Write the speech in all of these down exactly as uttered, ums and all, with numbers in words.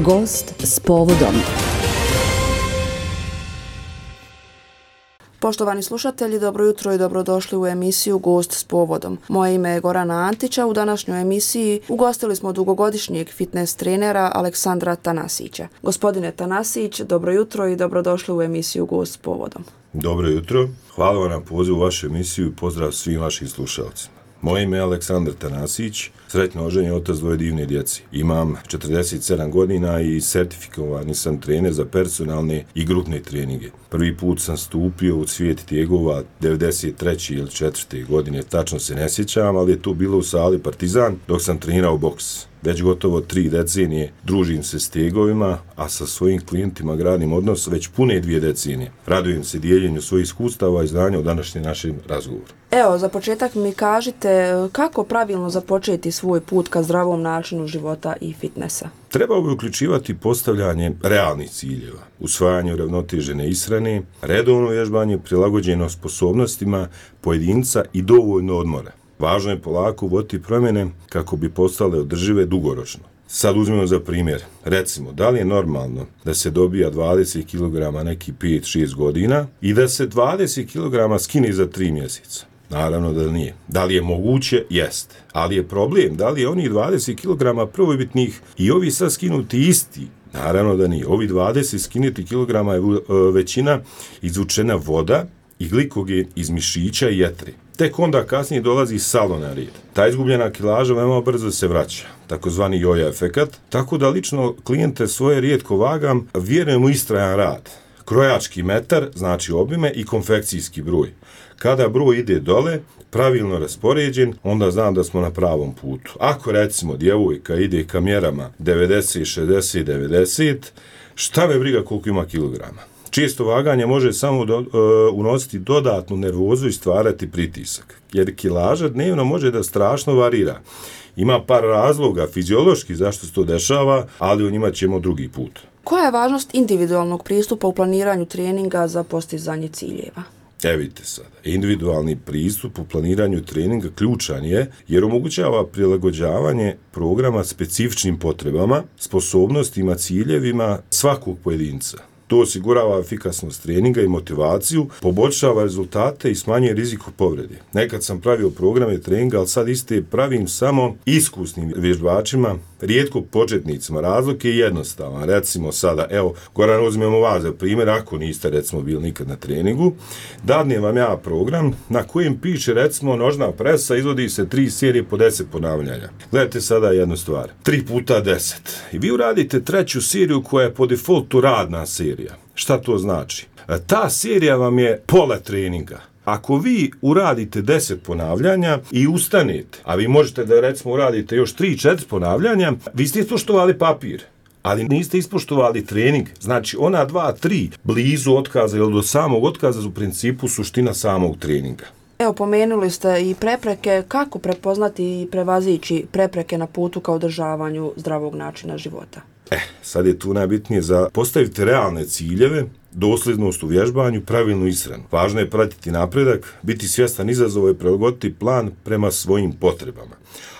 Gost s povodom. Poštovani slušatelji, dobro jutro i dobrodošli u emisiju Gost s povodom. Moje ime je Gorana Antića. U današnjoj emisiji ugostili smo dugogodišnjeg fitness trenera Aleksandra Tanasića. Gospodine Tanasić, dobro jutro i dobrodošli u emisiju Gost s povodom. Dobro jutro, hvala vam na pozivu u vašu emisiju i pozdrav svim vašim slušalcima. Moje ime je Aleksandar Tanasić, sretno oženjen otac dvoje divne djece. Imam četrdeset sedam godina i sertifikovani sam trener za personalne i grupne treninge. Prvi put sam stupio u svijet tijegova devedeset treće ili četvrte godine, tačno se ne sjećam, ali je to bilo u sali Partizan dok sam trenirao boks. Već gotovo tri decenije družim se s tegovima, a sa svojim klijentima gradim odnos već pune dvije decenije. Radujem se dijeljenju svojih iskustava i znanja u današnjem našem razgovoru. Evo, za početak mi kažite kako pravilno započeti svoj put ka zdravom načinu života i fitnessa? Trebao bi uključivati postavljanje realnih ciljeva, usvajanje uravnotežene ishrane, redovno vježbanje prilagođeno sposobnostima pojedinca i dovoljno odmora. Važno je polako uvoditi promjene kako bi postale održive dugoročno. Sad uzmemo za primjer, recimo, da li je normalno da se dobija dvadeset kilograma neki pet šest godina i da se dvadeset kilograma skine za tri mjeseca? Naravno da nije. Da li je moguće? Jeste. Ali je problem, da li je onih dvadeset kilograma prvobitnih i ovi sad skinuti isti? Naravno da nije. Ovi dvadeset skinuti kilograma je većina izvučena voda i glikogen iz mišića i jetre. Tek onda kasnije dolazi salo na red. Ta izgubljena kilaža veoma brzo se vraća, takozvani jojo efekat, tako da lično klijente svoje rijetko vagam, vjerujem u istrajan rad. Krojački metar, znači obime, i konfekcijski broj. Kada broj ide dole, pravilno raspoređen, onda znam da smo na pravom putu. Ako recimo djevojka ide ka mjerama devedeset, šezdeset, devedeset, šta me briga koliko ima kilograma? Često vaganje može samo do, uh, unositi dodatnu nervozu i stvarati pritisak, jer kilaža dnevno može da strašno varira. Ima par razloga fiziološki zašto se to dešava, ali o njima ćemo drugi put. Koja je važnost individualnog pristupa u planiranju treninga za postizanje ciljeva? E vidite sada, individualni pristup u planiranju treninga ključan je jer omogućava prilagođavanje programa specifičnim potrebama, sposobnostima, ciljevima svakog pojedinca. To osigurava efikasnost treninga i motivaciju, poboljšava rezultate i smanjuje rizik povrede. Nekad sam pravio programe treninga, ali sad iste pravim samo iskusnim vježbačima, rijetko početnicima. Razlog je jednostavan. Recimo sada, evo, Goran, uzmemo vas za primjer, ako niste recimo bili nikad na treningu, dadnem vam ja program na kojem piše recimo nožna presa, izvodi se tri serije po deset ponavljanja. Gledajte sada jednu stvar, tri puta deset. I vi uradite treću seriju koja je po defaultu radna serija. Šta to znači? Ta serija vam je pola treninga. Ako vi uradite deset ponavljanja i ustanete, a vi možete da recimo uradite još tri četiri ponavljanja, vi ste ispoštovali papir, ali niste ispoštovali trening. Znači ona dva tri blizu otkaza ili do samog otkaza u principu suština samog treninga. Evo, pomenuli ste i prepreke. Kako prepoznati i prevazići prepreke na putu ka održavanju zdravog načina života? Eh, sad je tu najbitnije za postaviti realne ciljeve, dosljednost u vježbanju, pravilnu ishranu. Važno je pratiti napredak, biti svjestan izazova i prilagoditi plan prema svojim potrebama.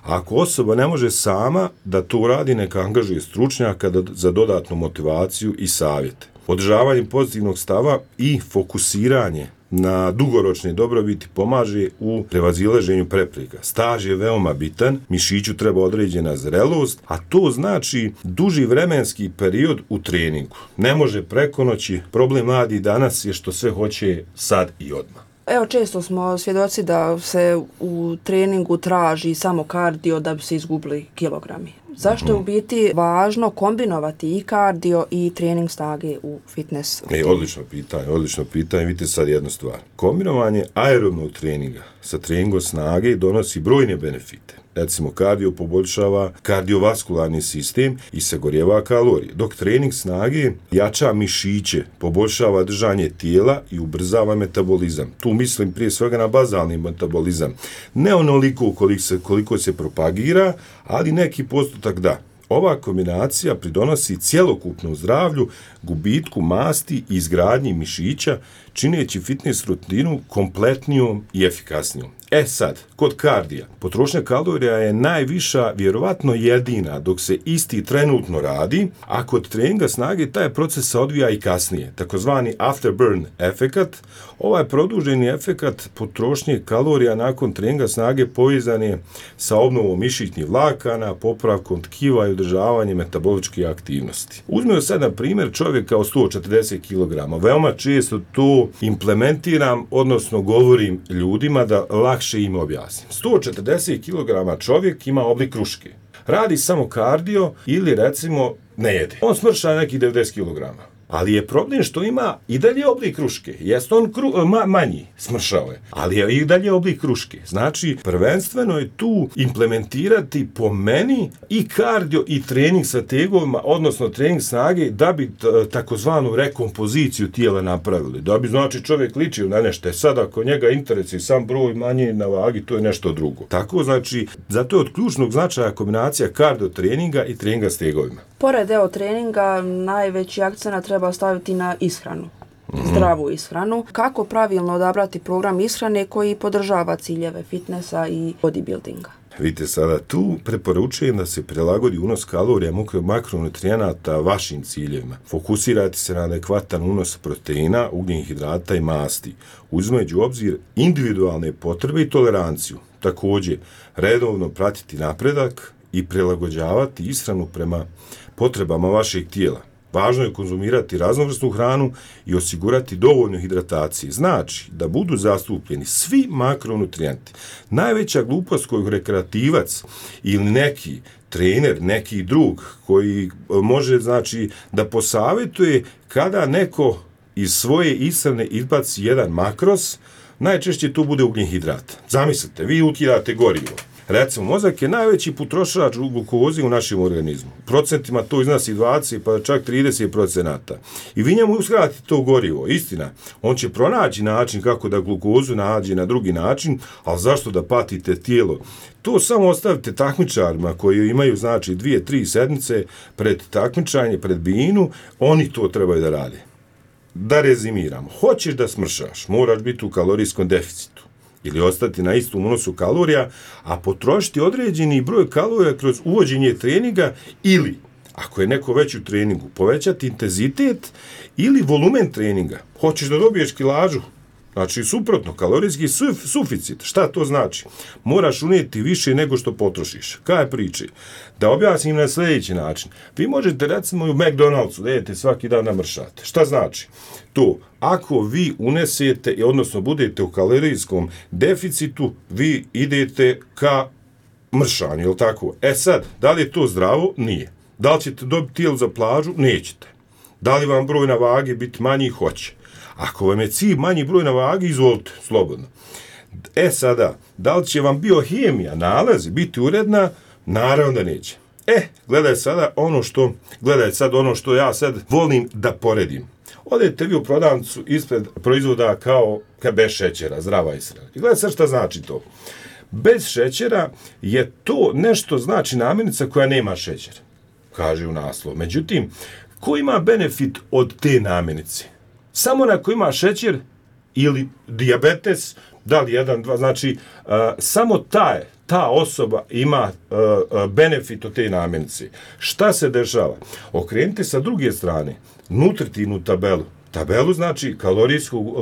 Ako osoba ne može sama da to uradi, neka angažuje stručnjaka za dodatnu motivaciju i savjete. Održavanje pozitivnog stava i fokusiranje na dugoročne dobrobiti pomaže u prevazilaženju prepreka. Staž je veoma bitan, mišiću treba određena zrelost, a to znači duži vremenski period u treningu. Ne može preko noći. Problem mladi danas je što sve hoće sad i odmah. Evo, često smo svjedoci da se u treningu traži samo kardio da bi se izgubili kilogrami. Zašto je u biti važno kombinovati i kardio i trening snage u fitness? E, odlično pitanje, odlično pitanje. Vidite sad jednu stvar. Kombinovanje aerobnog treninga sa treningom snage donosi brojne benefite. Recimo, kardio poboljšava kardiovaskularni sistem i sagorjeva kalorije, dok trening snage jača mišiće, poboljšava držanje tijela i ubrzava metabolizam. Tu mislim prije svega na bazalni metabolizam. Ne onoliko koliko se, koliko se propagira, ali neki postotak da. Ova kombinacija pridonosi cjelokupnom zdravlju, gubitku masti i izgradnji mišića, čineći fitness rutinu kompletnijom i efikasnijom. E sad, kod kardija, potrošnja kalorija je najviša, vjerovatno jedina, dok se isti trenutno radi, a kod treninga snage taj proces se odvija i kasnije, takozvani afterburn efekat. Ovaj produženi efekat potrošnje kalorija nakon treninga snage povezan je sa obnovom mišićnih vlakana, popravkom tkiva i održavanjem metaboličke aktivnosti. Uzmemo sad na primjer čovjeka od sto četrdeset kilograma. Veoma često to implementiram, odnosno govorim ljudima da lakše im objasnim. sto četrdeset kilograma čovjek ima oblik kruške. Radi samo kardio ili recimo ne jede. On smrša nekih devedeset kilograma. Ali je problem što ima i dalje oblik kruške. Jeste on kru, ma, manji, smršao je, ali je i dalje oblik kruške. Znači, prvenstveno je tu implementirati po meni i kardio i trening sa tegovima, odnosno trening snage, da bi takozvanu rekompoziciju tijela napravili. Da bi, znači, čovjek ličio na nešto. Sad, ako njega interesuje sam broj manje na vagi, to je nešto drugo. Tako, znači, zato je od ključnog značaja kombinacija kardio treninga i treninga s tegovima. Pored deo treninga, najveći akcenat treba staviti na ishranu, mm-hmm. zdravu ishranu. Kako pravilno odabrati program ishrane koji podržava ciljeve fitnessa i bodybuildinga? Vidite sada, tu preporučujem da se prilagodi unos kalorija, makronutrijenata vašim ciljevima. Fokusirati se na adekvatan unos proteina, ugljenih hidrata i masti, uzimajući u obzir individualne potrebe i toleranciju. Također, redovno pratiti napredak i prilagođavati ishranu prema potrebama vašeg tijela. Važno je konzumirati raznovrsnu hranu i osigurati dovoljno hidratacije. Znači da budu zastupljeni svi makronutrijenti. Najveća glupost koju rekreativac ili neki trener, neki drug koji može, znači, da posavjetuje kada neko iz svoje ishrane izbaci jedan makros, najčešće tu bude ugljen hidrat. Zamislite, vi ukidate gorivo. Recimo, mozak je najveći potrošač glukoze u našem organizmu. Procentima to iznosi dvadeset pa čak trideset procenata. I vi njemu uskratite to gorivo. Istina, on će pronaći način kako da glukozu nađe na drugi način, ali zašto da patite tijelo? To samo ostavite takmičarima koji imaju, znači, dvije, tri sedmice pred takmičanje, pred binu, oni to trebaju da rade. Da rezimiramo, hoćeš da smršaš, moraš biti u kalorijskom deficitu ili ostati na istom unosu kalorija, a potrošiti određeni broj kalorija kroz uvođenje treninga ili, ako je neko već u treningu, povećati intenzitet ili volumen treninga. Hoćeš da dobiješ kilažu, znači suprotno, kalorijski suf, suficit. Šta to znači? Moraš unijeti više nego što potrošiš. Kaj je priča? Da objasnim na sljedeći način. Vi možete, recimo, u McDonald'su da jedete svaki dan namršate. Šta znači? To, ako vi unesete, odnosno budete u kalorijskom deficitu, vi idete ka mršanju, je li tako? E sad, da li je to zdravo? Nije. Da li ćete dobiti tijelo za plažu? Nećete. Da li vam broj na vagi biti manji? Hoće. Ako vam je cilj manji broj na vagi, izvolite, slobodno. E sada, da li će vam biohemija, nalazi, biti uredna? Naravno da neće. E, gledaj sada ono što, gledaj sad ono što ja sad volim da poredim. Odete vi u prodavnicu ispred proizvoda kao ka bez šećera, zdrava ishrana. I gledaj sad šta znači to. Bez šećera je to nešto, znači, namirnica koja nema šećer, kaže u naslovu. Međutim, ko ima benefit od te namirnice? Samo na ko ima šećer ili dijabetes, da li jedan, dva, znači, uh, samo taj, ta osoba ima uh, uh, benefit od te namirnice. Šta se dešava? Okrenite sa druge strane nutritivnu tabelu. Tabelu, znači,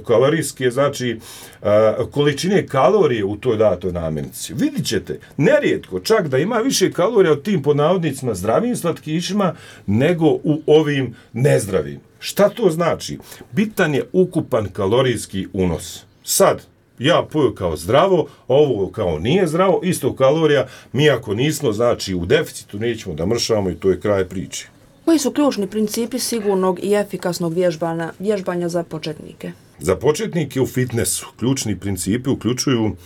kalorijske, znači, uh, količine kalorije u toj datoj namirnici. Vidit ćete, nerijetko, čak da ima više kalorija od tim, pod navodnicima, zdravim slatkišima, nego u ovim nezdravim. Šta to znači? Bitan je ukupan kalorijski unos. Sad, ja poju kao zdravo, ovo kao nije zdravo, isto kalorija, mi ako nismo, znači, u deficitu, nećemo da mršamo i to je kraj priče. Koji su ključni principi sigurnog i efikasnog vježbanja, vježbanja za početnike? Za početnike u fitnessu ključni principi uključuju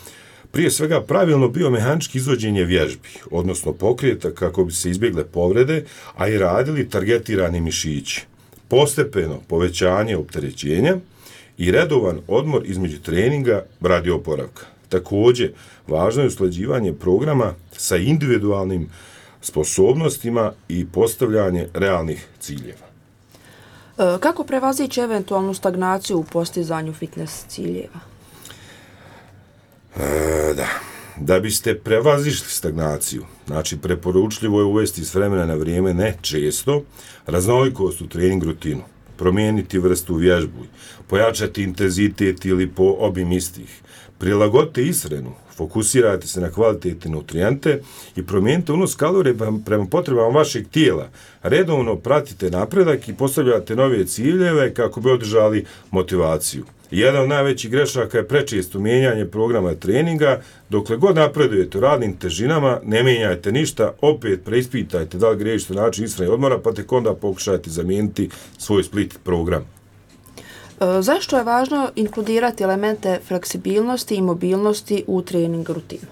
prije svega pravilno biomehanički izvođenje vježbi, odnosno pokreta kako bi se izbjegle povrede, a i radili targetirani mišići. Postepeno povećanje opterećenja i redovan odmor između treninga radi oporavka. Također, važno je usklađivanje programa sa individualnim sposobnostima i postavljanje realnih ciljeva. E, kako prevazići eventualnu stagnaciju u postizanju fitness ciljeva? E, da. Da biste prevazišli stagnaciju, znači preporučljivo je uvesti s vremena na vrijeme, ne često, raznolikost u trening rutinu, promijeniti vrstu vježbu, pojačati intenzitet ili po obim istih, prilagodite ishranu, fokusirajte se na kvalitetne nutrijente i promijenite unos kalorija prema potrebama vašeg tijela. Redovno pratite napredak i postavljate nove ciljeve kako bi održali motivaciju. Jedan od najvećih grešaka je prečesto mijenjanje programa treninga. Dokle god napredujete u radnim težinama, ne mijenjajte ništa, opet preispitajte da li griješite način ishrane i odmora, pa tek onda pokušajte zamijeniti svoj split program. E, zašto je važno inkludirati elemente fleksibilnosti i mobilnosti u trening rutinu?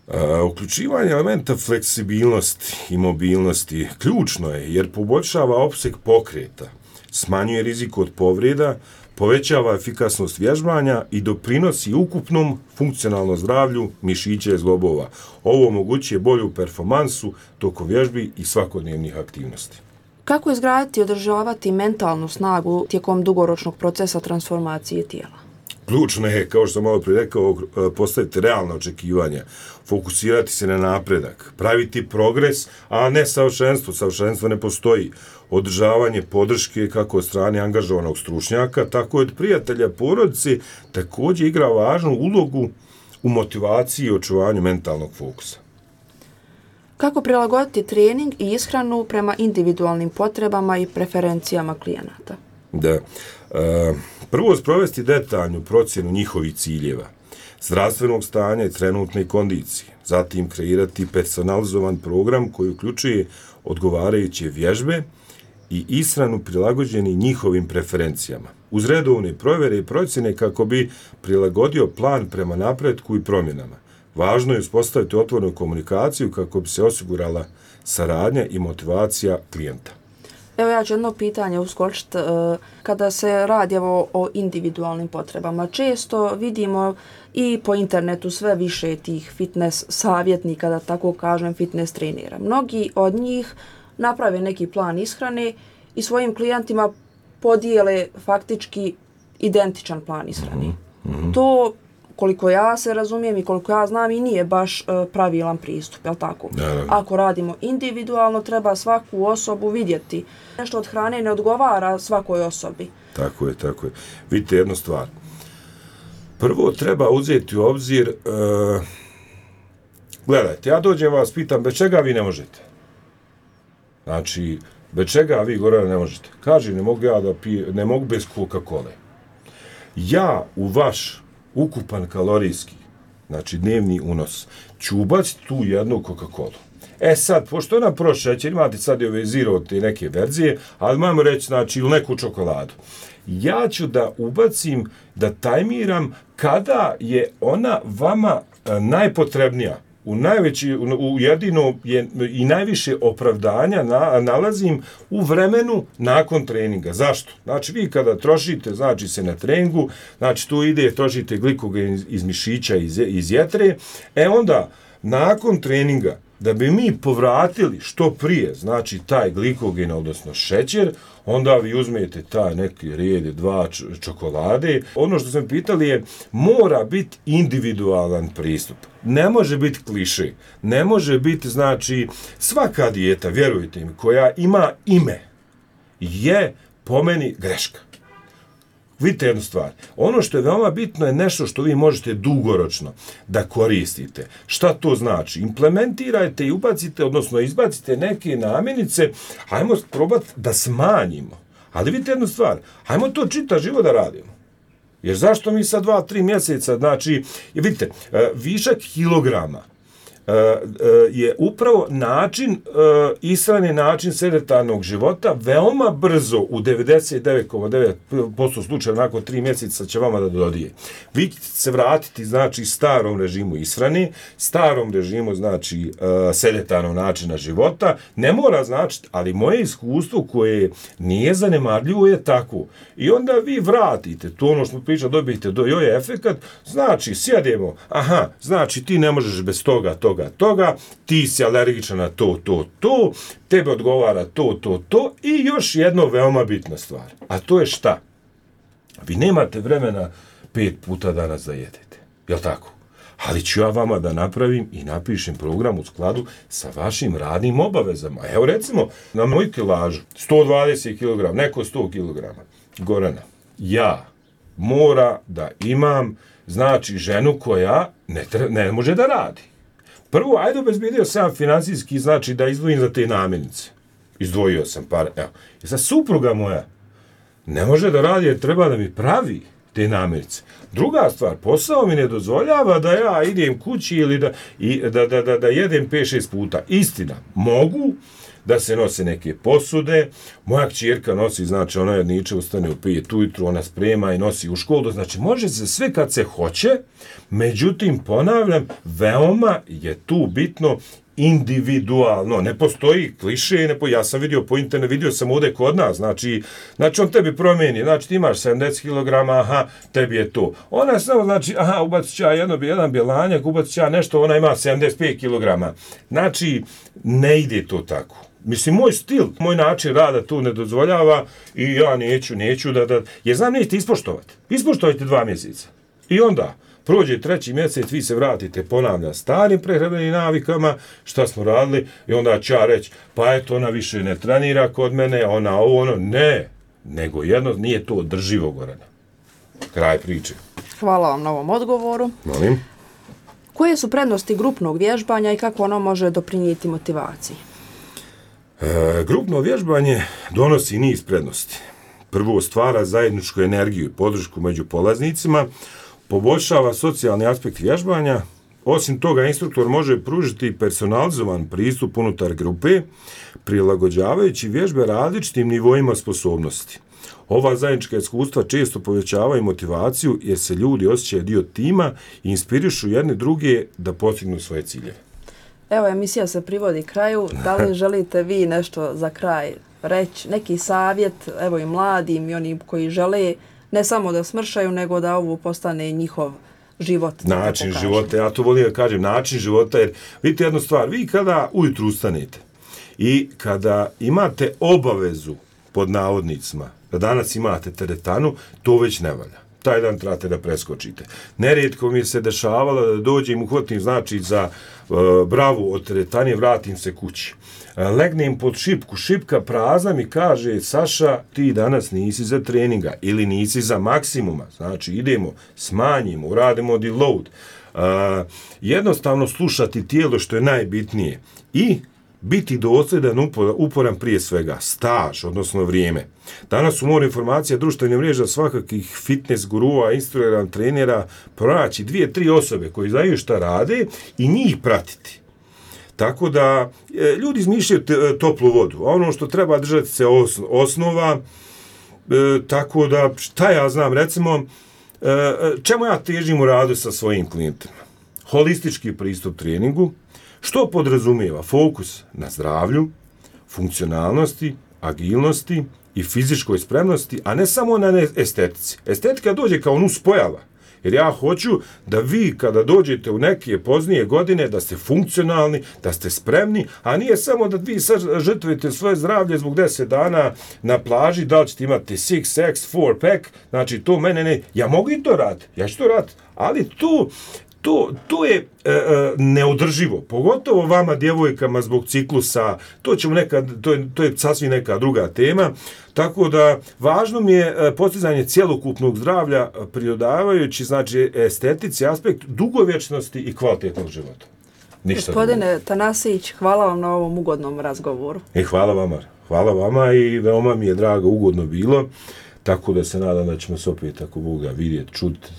E, uključivanje elementa fleksibilnosti i mobilnosti ključno je jer poboljšava opseg pokreta, smanjuje rizik od povreda, povećava efikasnost vježbanja i doprinosi ukupnom funkcionalnom zdravlju mišića i zglobova. Ovo omogućuje bolju performansu tokom vježbi i svakodnevnih aktivnosti. Kako izgraditi i održavati mentalnu snagu tijekom dugoročnog procesa transformacije tijela? Ključno je, kao što sam malo prije rekao, postaviti realna očekivanja, fokusirati se na napredak, praviti progres, a ne savršenstvo. Savršenstvo ne postoji. Održavanje podrške kako od strane angažovanog stručnjaka, tako i od prijatelja, porodice, također igra važnu ulogu u motivaciji i očuvanju mentalnog fokusa. Kako prilagoditi trening i ishranu prema individualnim potrebama i preferencijama klijenata? Da. E, prvo sprovesti detaljnu procjenu njihovih ciljeva, zdravstvenog stanja i trenutne kondicije. Zatim kreirati personalizovan program koji uključuje odgovarajuće vježbe i ishranu prilagođeni njihovim preferencijama. Uz redovne provjere i procjene kako bi prilagodio plan prema napretku i promjenama. Važno je uspostaviti otvorenu komunikaciju kako bi se osigurala saradnja i motivacija klijenta. Evo ja ću jedno pitanje uskočiti. Kada se radi evo, o individualnim potrebama, često vidimo i po internetu sve više tih fitness savjetnika, da tako kažem, fitness trenera. Mnogi od njih naprave neki plan ishrane i svojim klijentima podijele faktički identičan plan ishrane. Mm-hmm. To, koliko ja se razumijem i koliko ja znam, i nije baš uh, pravilan pristup, je li tako? Da. Ako radimo individualno, treba svaku osobu vidjeti. Nešto od hrane ne odgovara svakoj osobi. Tako je, tako je. Vidite jednu stvar. Prvo treba uzeti u obzir, uh, gledajte, ja dođem vas, pitam, bez čega vi ne možete? Znači, bez čega vi, Gorana, ne možete? Kaži, ne mogu ja da pijem, ne mogu bez Coca-Cola. Ja u vaš ukupan kalorijski, znači dnevni unos, ću ubaciti tu jednu Coca-Cola. E sad, pošto nam prošle šećer, imate sad i ove zero te neke verzije, ali možemo reći, znači, ili neku čokoladu. Ja ću da ubacim, da tajmiram kada je ona vama a, najpotrebnija. U najveći, u jedino je i najviše opravdanja na, nalazim u vremenu nakon treninga. Zašto? Znači, vi kada trošite, znači se na treningu, znači tu ide, trošite glikogen iz, iz mišića, iz, iz jetre, e onda, nakon treninga, da bi mi povratili što prije, znači taj glikogen, odnosno šećer, onda vi uzmete taj neki red, dva čokolade. Ono što sam pitali je, mora biti individualan pristup. Ne može biti kliše. Ne može biti, znači, svaka dijeta, vjerujte mi, koja ima ime, je po meni greška. Vidite jednu stvar. Ono što je veoma bitno je nešto što vi možete dugoročno da koristite. Šta to znači? Implementirajte i ubacite, odnosno izbacite neke namirnice, hajmo probati da smanjimo. Ali vidite jednu stvar, hajmo to čita živo da radimo. Jer zašto mi sad dva, tri mjeseca, znači, vidite, višak kilograma je upravo način, ishrane, način sedentarnog života, veoma brzo u devedeset devet zarez devet posto slučajeva nakon tri mjeseca će vama da dodije. Vi ćete se vratiti, znači, starom režimu ishrane, starom režimu, znači, sedentarnog načina života, ne mora značiti, ali moje iskustvo koje nije zanemarljivo je tako. I onda vi vratite, to ono što priča, dobijete do joj efekat, znači, sjedemo, aha, znači, ti ne možeš bez toga, toga, toga, toga, ti si alergičan na to, to, to, tebe odgovara to, to, to i još jedno veoma bitna stvar. A to je šta? Vi nemate vremena pet puta danas da jedete. Jel' tako? Ali ću ja vama da napravim i napišem program u skladu sa vašim radnim obavezama. Evo recimo, na moju kilažu, sto dvadeset kilograma, neko sto kilograma. Gorana, ja mora da imam, znači, ženu koja ne, tre, ne može da radi. Prvo, ajde obezbedio sam financijski, znači da izdvojim za te namirnice. Izdvojio sam par, evo. I sad supruga moja ne može da radi jer treba da mi pravi te namirnice. Druga stvar, posao mi ne dozvoljava da ja idem kući ili da, i, da, da, da, da jedem pet šest puta. Istina, mogu da se nose neke posude, moja kćerka nosi, znači ona jedniče ustane u pet ujutru, ona sprema i nosi u školu, znači može se sve kad se hoće, međutim, ponavljam, veoma je tu bitno individualno, ne postoji kliše, ne po, ja sam vidio po internetu, vidio sam ovdje kod nas, znači, znači on tebi promijeni, znači ti imaš sedamdeset kilograma, aha, tebi je to. Ona samo, znači, aha, ubacit ću ja jedno, jedan bjelanjak, ubacit ću ja nešto, ona ima sedamdeset pet kilograma. Znači, ne ide to tako. Mislim, moj stil, moj način rada tu ne dozvoljava i ja neću, neću da, da, jer znam nećete ispoštovati. Ispoštovajte dva mjeseca. I onda, prođe treći mjesec, vi se vratite, ponavlja, starim prehrambenim navikama, šta smo radili, i onda će ja reći, pa eto, ona više ne trenira kod mene, ona ovo, ono, ne, nego jedno, nije to održivo, Gorana. Kraj priče. Hvala vam na ovom odgovoru. Molim. Koje su prednosti grupnog vježbanja i kako ono može doprinijeti motivaciji? E, grupno vježbanje donosi niz prednosti. Prvo, stvara zajedničku energiju i podršku među polaznicima, poboljšava socijalni aspekt vježbanja. Osim toga, instruktor može pružiti personalizovan pristup unutar grupe, prilagođavajući vježbe različitim nivoima sposobnosti. Ova zajednička iskustva često povećavaju motivaciju jer se ljudi osjećaju dio tima i inspirišu jedne druge da postignu svoje ciljeve. Evo, emisija se privodi kraju. Da li želite vi nešto za kraj reći? Neki savjet, evo i mladim i oni koji žele ne samo da smršaju, nego da ovo postane njihov život. Način života, ja to volim da kažem, način života, jer vidite jednu stvar, vi kada ujutru ustanete i kada imate obavezu pod navodnicima, da danas imate teretanu, to već ne valja. Taj dan trebate da preskočite. Nerijetko mi se dešavalo da dođem, uhvatim, znači, za uh, bravu od teretanje, vratim se kući. Uh, legnem pod šipku, šipka prazna mi kaže, Saša, ti danas nisi za treninga ili nisi za maksimuma. Znači, idemo, smanjimo, uradimo deload. Uh, jednostavno slušati tijelo što je najbitnije i biti dosljedan, uporan prije svega, staž, odnosno vrijeme. Danas u moru informacija društvenih mreža svakakih fitness gurua, instruktora, trenera, pronaći dvije, tri osobe koji znaju šta rade i njih pratiti. Tako da e, ljudi izmišljaju toplu vodu, a ono što treba držati se os, osnova, e, tako da šta ja znam, recimo, e, čemu ja težim u radu sa svojim klijentima? Holistički pristup treningu, što podrazumijeva fokus na zdravlju, funkcionalnosti, agilnosti i fizičkoj spremnosti, a ne samo na estetici. Estetika dođe kao nuspojava, jer ja hoću da vi kada dođete u neke poznije godine da ste funkcionalni, da ste spremni, a nije samo da vi sad žrtvujete svoje zdravlje zbog deset dana na plaži, da li ćete imati six X, four pack, znači to mene ne, ja mogu i to raditi, ja ću to raditi, ali tu To, to je e, neodrživo, pogotovo vama djevojkama zbog ciklusa, to ćemo nekad, to je, to je sasvim neka druga tema, tako da važno mi je postizanje cjelokupnog zdravlja pridodavajući, znači, estetici, aspekt dugovječnosti i kvalitetnog života. Ništa Gospodine drugo. Tanasić, hvala vam na ovom ugodnom razgovoru. E, hvala vama, hvala vama i veoma mi je drago, ugodno bilo, tako da se nadam da ćemo se opet, ako Boga, vidjeti, čuti,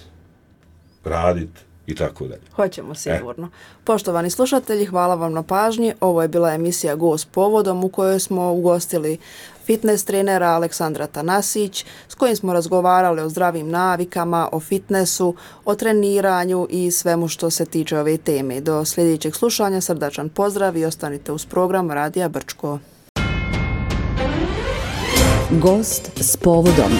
raditi i tako dalje. Hoćemo sigurno. E. Poštovani slušatelji, hvala vam na pažnji. Ovo je bila emisija Gost povodom u kojoj smo ugostili fitness trenera Aleksandra Tanasić, s kojim smo razgovarali o zdravim navikama, o fitnessu, o treniranju i svemu što se tiče ove teme. Do sljedećeg slušanja srdačan pozdrav i ostanite uz program Radija Brčko. Gost s povodom.